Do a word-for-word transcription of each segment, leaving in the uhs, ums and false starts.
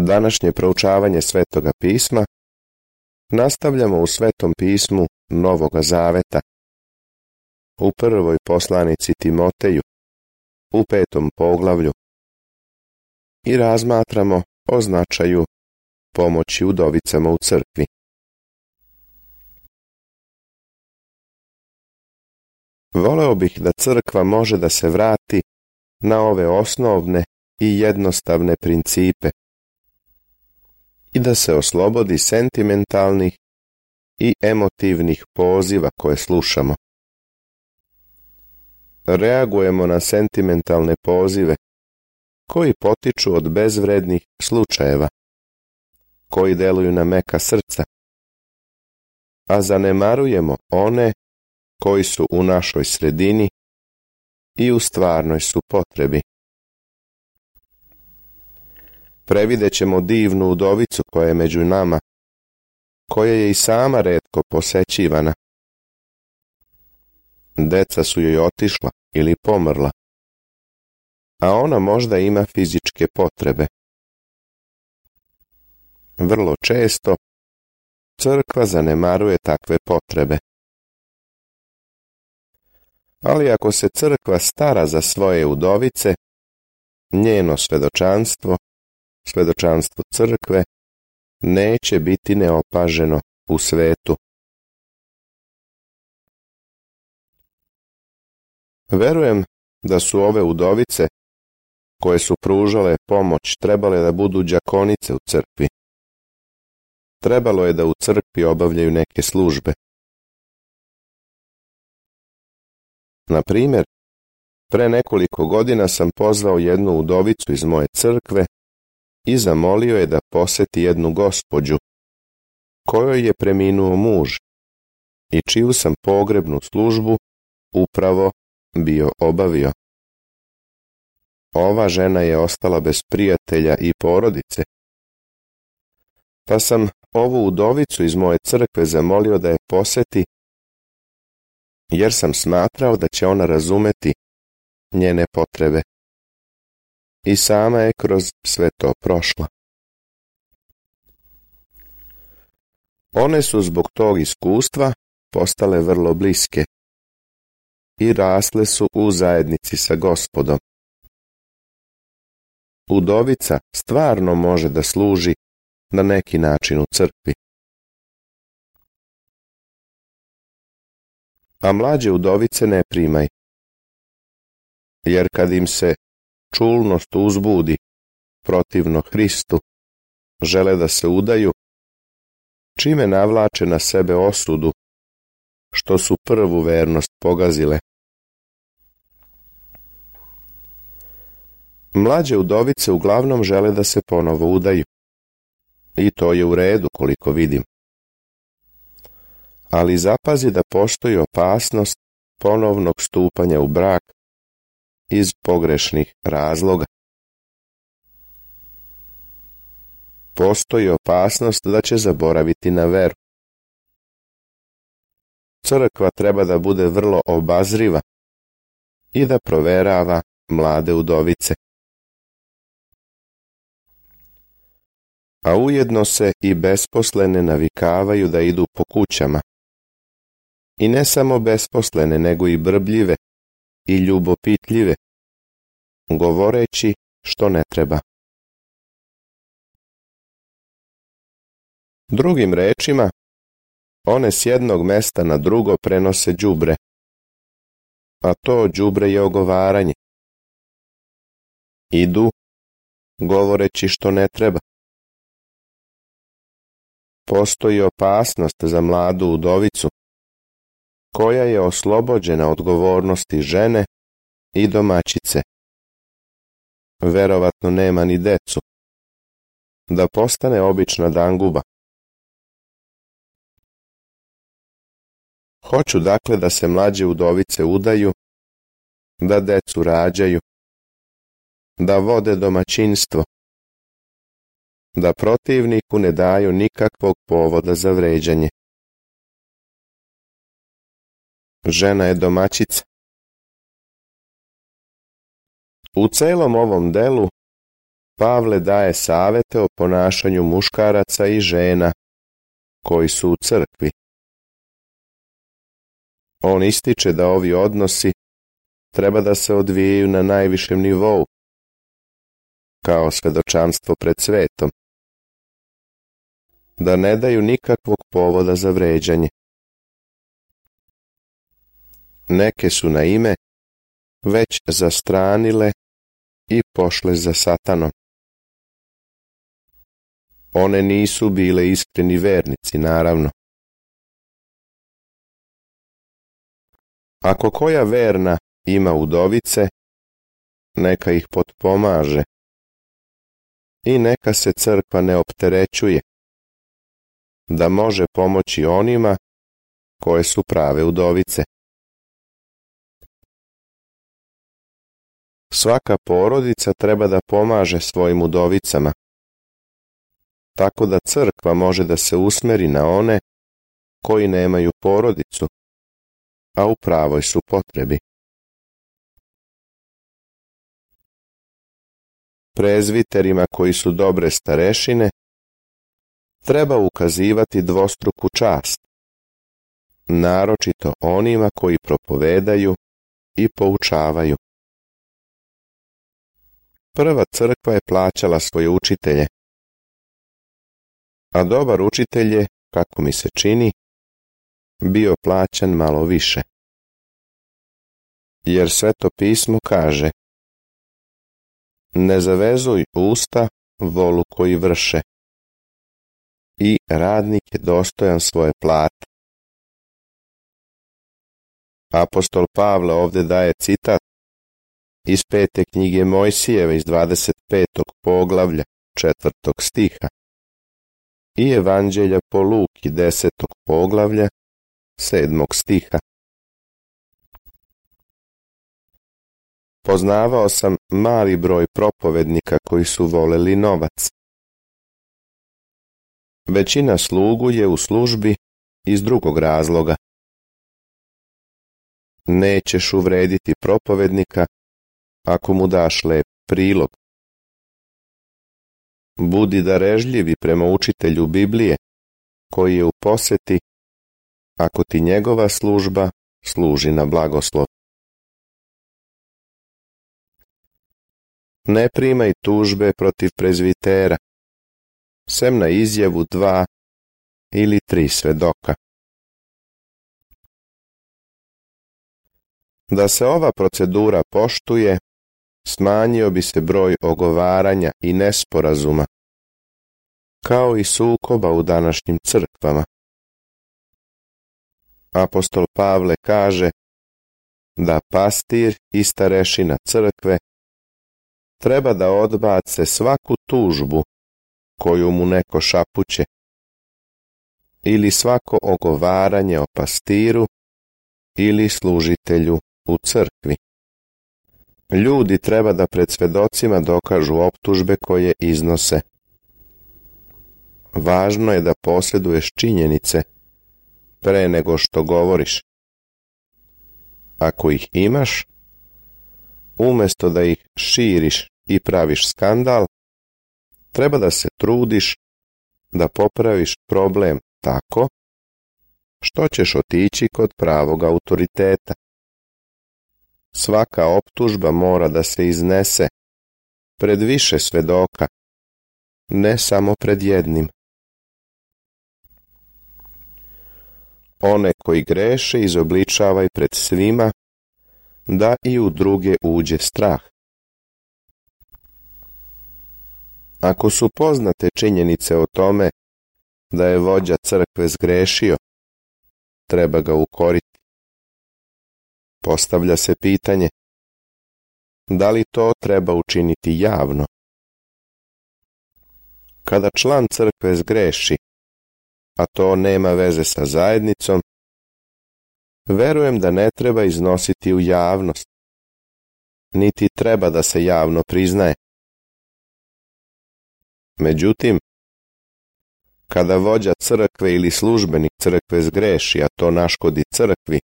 Današnje proučavanje Svetoga pisma nastavljamo u Svetom pismu Novoga Zaveta, u prvoj poslanici Timoteju, u petom poglavlju, i razmatramo o značaju pomoći udovicama u crkvi. Voleo bih da crkva može da se vrati na ove osnovne i jednostavne principe i da se oslobodi sentimentalnih i emotivnih poziva koje slušamo. Reagujemo na sentimentalne pozive koji potiču od bezvrednih slučajeva, koji deluju na meka srca, a zanemarujemo one koji su u našoj sredini i u stvarnoj su potrebi. Previdjet ćemo divnu udovicu koja je među nama, koja je i sama retko posećivana. Deca su joj otišla ili pomrla, a ona možda ima fizičke potrebe. Vrlo često crkva zanemaruje takve potrebe. Ali ako se crkva stara za svoje udovice, njeno svedočanstvo, svedočanstvo crkve, neće biti neopaženo u svetu. Verujem da su ove udovice koje su pružale pomoć trebale da budu đakonice u crkvi. Trebalo je da u crkvi obavljaju neke službe. Na primjer, pre nekoliko godina sam pozvao jednu udovicu iz moje crkve i zamolio je da poseti jednu gospođu kojoj je preminuo muž i čiju sam pogrebnu službu upravo bio obavio. Ova žena je ostala bez prijatelja i porodice, pa sam ovu udovicu iz moje crkve zamolio da je poseti, jer sam smatrao da će ona razumeti njene potrebe. I sama je kroz sve to prošla. One su zbog tog iskustva postale vrlo bliske i rasle su u zajednici sa Gospodom. Udovica stvarno može da služi na neki način u crkvi. A mlađe udovice ne primaj, jer kad im se čulnost uzbudi protivno Hristu, žele da se udaju, čime navlače na sebe osudu, što su prvu vernost pogazile. Mlađe udovice uglavnom žele da se ponovo udaju, i to je u redu koliko vidim. Ali zapazi da postoji opasnost ponovnog stupanja u brak iz pogrešnih razloga. Postoji opasnost da će zaboraviti na veru. Crkva treba da bude vrlo obazriva i da proverava mlade udovice. A ujedno se i besposlene navikavaju da idu po kućama. I ne samo besposlene, nego i brbljive i ljubopitljive, govoreći što ne treba. Drugim rečima, one s jednog mesta na drugo prenose đubre, a to đubre je ogovaranje. Idu, govoreći što ne treba. Postoji opasnost za mladu udovicu, koja je oslobođena odgovornosti žene i domaćice. Verovatno nema ni decu, da postane obična danguba. Hoću dakle da se mlađe udovice udaju, da decu rađaju, da vode domaćinstvo, da protivniku ne daju nikakvog povoda za vređanje. Žena je domaćica. U celom ovom delu Pavle daje savete o ponašanju muškaraca i žena koji su u crkvi. On ističe da ovi odnosi treba da se odvijaju na najvišem nivou, kao svedočanstvo pred svetom, da ne daju nikakvog povoda za vređanje. Neke su na ime već zastranile i pošle za Satanom. One nisu bile iskreni vernici, naravno. Ako koja verna ima udovice, neka ih potpomaže i neka se crkva ne opterećuje, da može pomoći onima koje su prave udovice. Svaka porodica treba da pomaže svojim udovicama, tako da crkva može da se usmeri na one koji nemaju porodicu, a u pravoj su potrebi. Prezviterima koji su dobre starešine treba ukazivati dvostruku čast, naročito onima koji propovedaju i poučavaju. Prva crkva je plaćala svoje učitelje, a dobar učitelj je, kako mi se čini, bio plaćan malo više. Jer Sveto pismo kaže: ne zavezuj usta volu koji vrše, i radnik je dostojan svoje plate. Apostol Pavle ovdje daje citat iz pete knjige Mojsijeve iz dvadeset petog poglavlja četvrtog stiha i Evanđelja po Luki desetog poglavlja sedmog stiha. Poznavao sam mali broj propovednika koji su voleli novac. Većina slugu je u službi iz drugog razloga. Nećeš uvrediti propovednika ako mu daš lep prilog. Budi darežljivi prema učitelju Biblije koji je u poseti, ako ti njegova služba služi na blagoslov. Ne primaj tužbe protiv prezvitera, sem na izjavu dva ili tri svedoka. Da se ova procedura poštuje, smanjio bi se broj ogovaranja i nesporazuma, kao i sukoba u današnjim crkvama. Apostol Pavle kaže da pastir i starešina crkve treba da odbace svaku tužbu koju mu neko šapuće ili svako ogovaranje o pastiru ili služitelju u crkvi. Ljudi treba da pred svedocima dokažu optužbe koje iznose. Važno je da posjeduješ činjenice pre nego što govoriš. Ako ih imaš, umjesto da ih širiš i praviš skandal, treba da se trudiš da popraviš problem tako što ćeš otići kod pravog autoriteta. Svaka optužba mora da se iznese pred više svedoka, ne samo pred jednim. One koji greše izobličavaj pred svima, da i u druge uđe strah. Ako su poznate činjenice o tome da je vođa crkve zgrešio, treba ga ukoriti. Postavlja se pitanje, da li to treba učiniti javno? Kada član crkve zgreši, a to nema veze sa zajednicom, verujem da ne treba iznositi u javnost, niti treba da se javno priznaje. Međutim, kada vođa crkve ili službenik crkve zgreši, a to naškodi crkvi,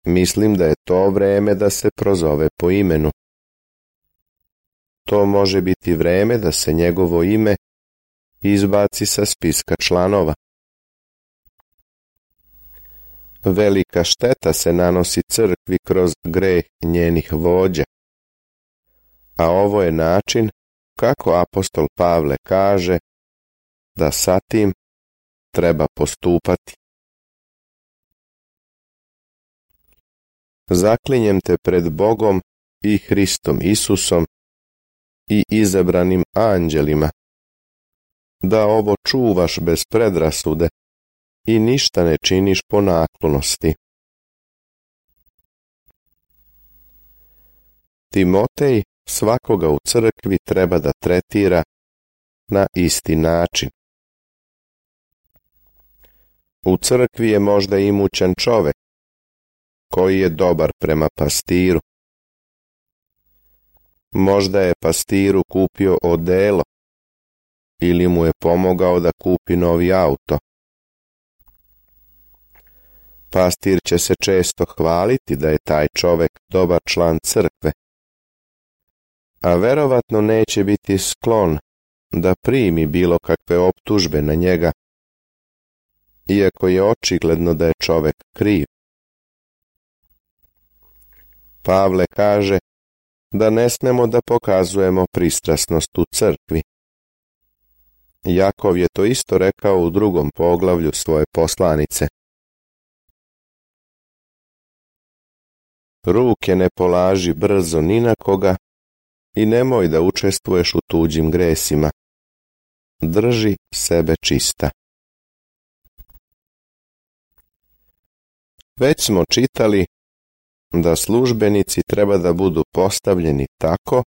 mislim da je to vreme da se prozove po imenu. to može biti vreme da se njegovo ime izbaci sa spiska članova. Velika šteta se nanosi crkvi kroz greh njenih vođa, a ovo je način kako apostol Pavle kaže da sa tim treba postupati. Zaklinjem te pred Bogom i Hristom Isusom i izabranim anđelima, da ovo čuvaš bez predrasude i ništa ne činiš po naklonosti. Timotej svakoga u crkvi treba da tretira na isti način. U crkvi je možda imućan čovek koji je dobar prema pastiru. Možda je pastiru kupio odelo ili mu je pomogao da kupi novi auto. Pastir će se često hvaliti da je taj čovek dobar član crkve, a verovatno neće biti sklon da primi bilo kakve optužbe na njega, iako je očigledno da je čovek kriv. Pavle kaže da ne smemo da pokazujemo pristrasnost u crkvi. Jakov je to isto rekao u drugom poglavlju svoje poslanice. Ruke ne polaži brzo ni na koga i nemoj da učestvuješ u tuđim gresima. Drži sebe čista. Već smo čitali da službenici treba da budu postavljeni tako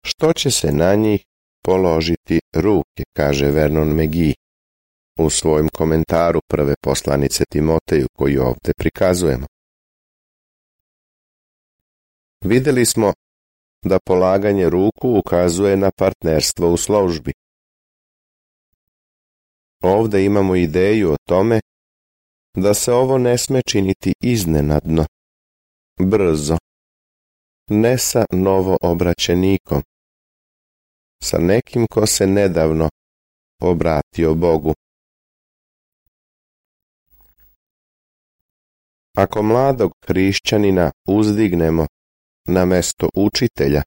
što će se na njih položiti ruke, kaže Vernon McGee u svojem komentaru prve poslanice Timoteju koju ovdje prikazujemo. Vidjeli smo da polaganje ruku ukazuje na partnerstvo u službi. Ovdje imamo ideju o tome da se ovo ne sme činiti iznenadno, brzo, ne sa novoobraćenikom, sa nekim ko se nedavno obratio Bogu. Ako mladog hrišćanina uzdignemo na mesto učitelja,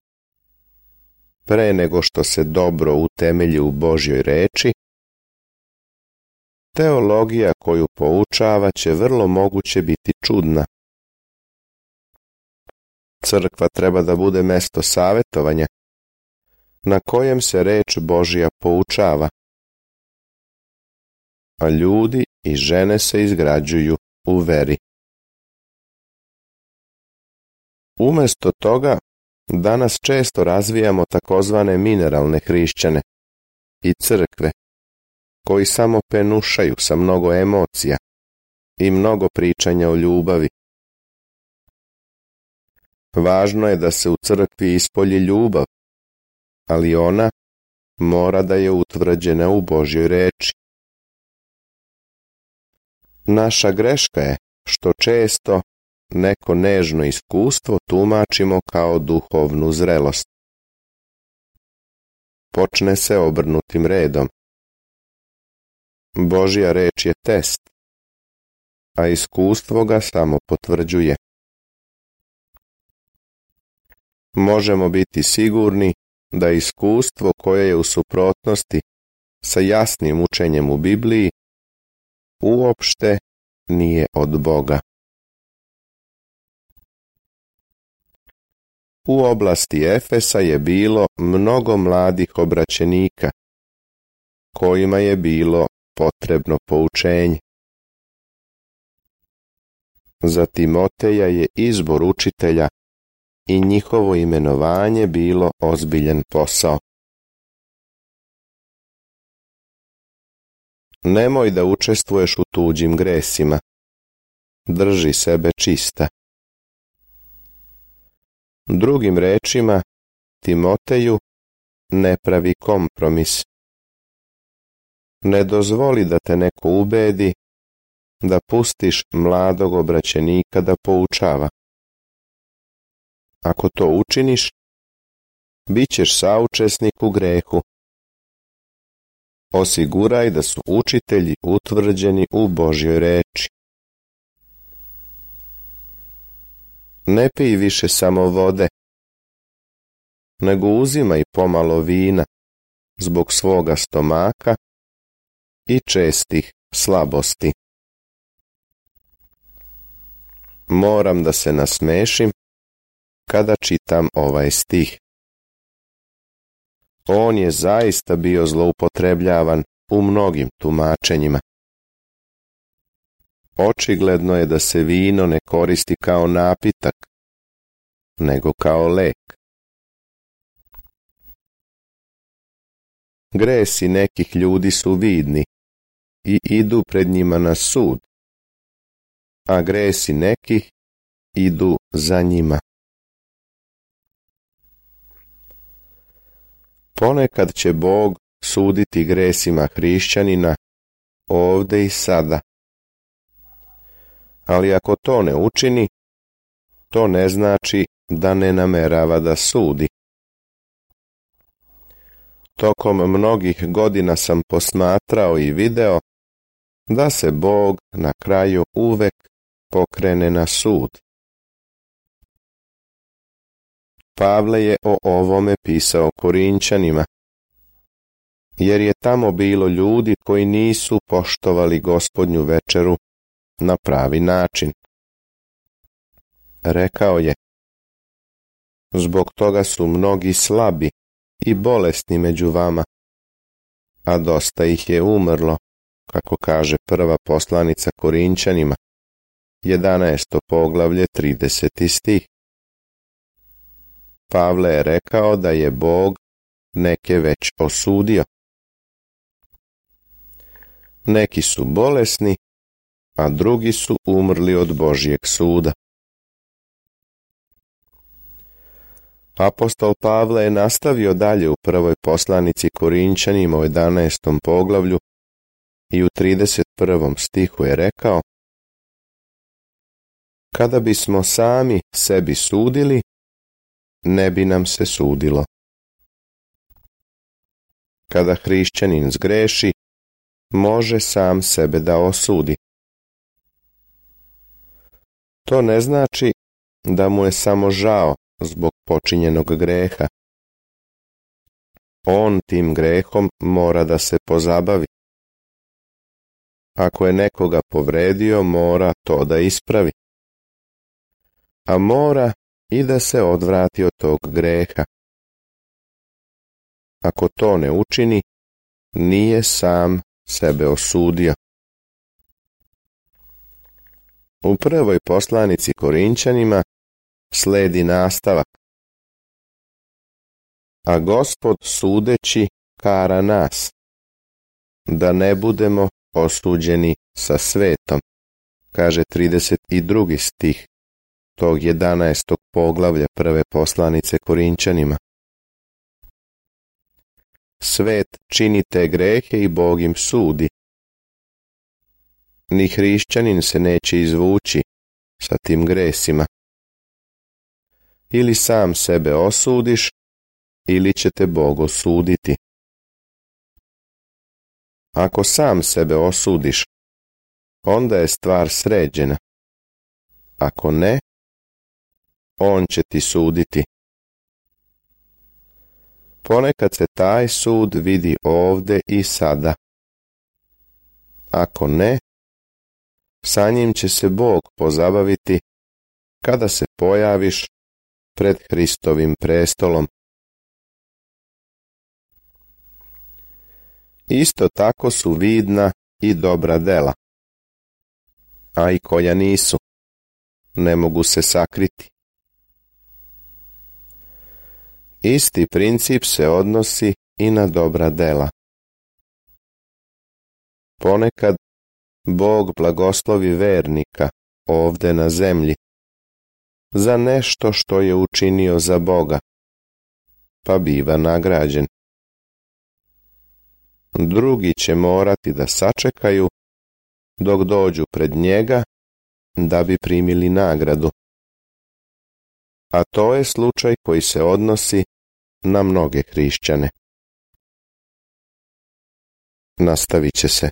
pre nego što se dobro utemelji u Božjoj reči, teologija koju poučava će vrlo moguće biti čudna. Crkva treba da bude mesto savetovanja, na kojem se reč Božja poučava, a ljudi i žene se izgrađuju u veri. Umesto toga, danas često razvijamo takozvane mineralne hrišćane i crkve, koji samo penušaju sa mnogo emocija i mnogo pričanja o ljubavi. Važno je da se u crkvi ispolji ljubav, ali ona mora da je utvrđena u Božjoj reči. Naša greška je što često neko nežno iskustvo tumačimo kao duhovnu zrelost. Počne se obrnutim redom. Božja reč je test, a iskustvo ga samo potvrđuje. Možemo biti sigurni da iskustvo koje je u suprotnosti sa jasnim učenjem u Bibliji uopšte nije od Boga. U oblasti Efesa je bilo mnogo mladih obraćenika, kojima je bilo potrebno poučenje. Za Timoteja je izbor učitelja i njihovo imenovanje bilo ozbiljan posao. Nemoj da učestvuješ u tuđim gresima. Drži sebe čista. Drugim rečima, Timoteju, ne pravi kompromis. Ne dozvoli da te neko ubedi da pustiš mladog obraćenika da poučava. Ako to učiniš, bićeš saučesnik u grehu. Osiguraj da su učitelji utvrđeni u Božjoj reči. Ne pij više samo vode, nego uzimaj pomalo vina zbog svoga stomaka i čestih slabosti. Moram da se nasmešim kada čitam ovaj stih. On je zaista bio zloupotrebljavan u mnogim tumačenjima. Očigledno je da se vino ne koristi kao napitak, nego kao lek. Gresi nekih ljudi su vidni i idu pred njima na sud, a gresi nekih idu za njima. Ponekad će Bog suditi gresima hrišćanina ovde i sada. Ali ako to ne učini, to ne znači da ne namerava da sudi. Tokom mnogih godina sam posmatrao i video da se Bog na kraju uvek pokrene na sud. Pavle je o ovome pisao Korinćanima, jer je tamo bilo ljudi koji nisu poštovali Gospodnju večeru na pravi način. Rekao je: zbog toga su mnogi slabi i bolesni među vama, a dosta ih je umrlo, kako kaže prva poslanica Korinćanima, jedanaesto poglavlje, trideseti stih. Pavle je rekao da je Bog neke već osudio. Neki su bolesni, a drugi su umrli od Božjeg suda. Apostol Pavle je nastavio dalje u prvoj poslanici Korinćanima u jedanaestom poglavlju i u trideset prvom stihu je rekao: kada bismo sami sebi sudili, ne bi nam se sudilo. Kada hrišćanin zgreši, može sam sebe da osudi. To ne znači da mu je samo žao zbog počinjenog greha. On tim grehom mora da se pozabavi. Ako je nekoga povredio, mora to da ispravi. A mora i da se odvrati od tog greha. Ako to ne učini, nije sam sebe osudio. U prvoj poslanici Korinćanima sledi nastavak: a Gospod sudeći kara nas, da ne budemo osuđeni sa svetom, kaže trideset drugi stih tog jedanaestog poglavlja prve poslanice Korinćanima. Svet čini te grehe i Bog im sudi. Ni hrišćanin se neće izvući sa tim gresima. Ili sam sebe osudiš, ili će te Bog osuditi. Ako sam sebe osudiš, onda je stvar sređena. Ako ne, on će ti suditi. Ponekad se taj sud vidi ovde i sada. Ako ne, sa njim će se Bog pozabaviti kada se pojaviš pred Hristovim prestolom. Isto tako su vidna i dobra dela, a i koja nisu, ne mogu se sakriti. Isti princip se odnosi i na dobra dela. Ponekad Bog blagoslovi vernika ovde na zemlji za nešto što je učinio za Boga, pa biva nagrađen. Drugi će morati da sačekaju dok dođu pred njega da bi primili nagradu. A to je slučaj koji se odnosi na mnoge hrišćane. Nastavit će se.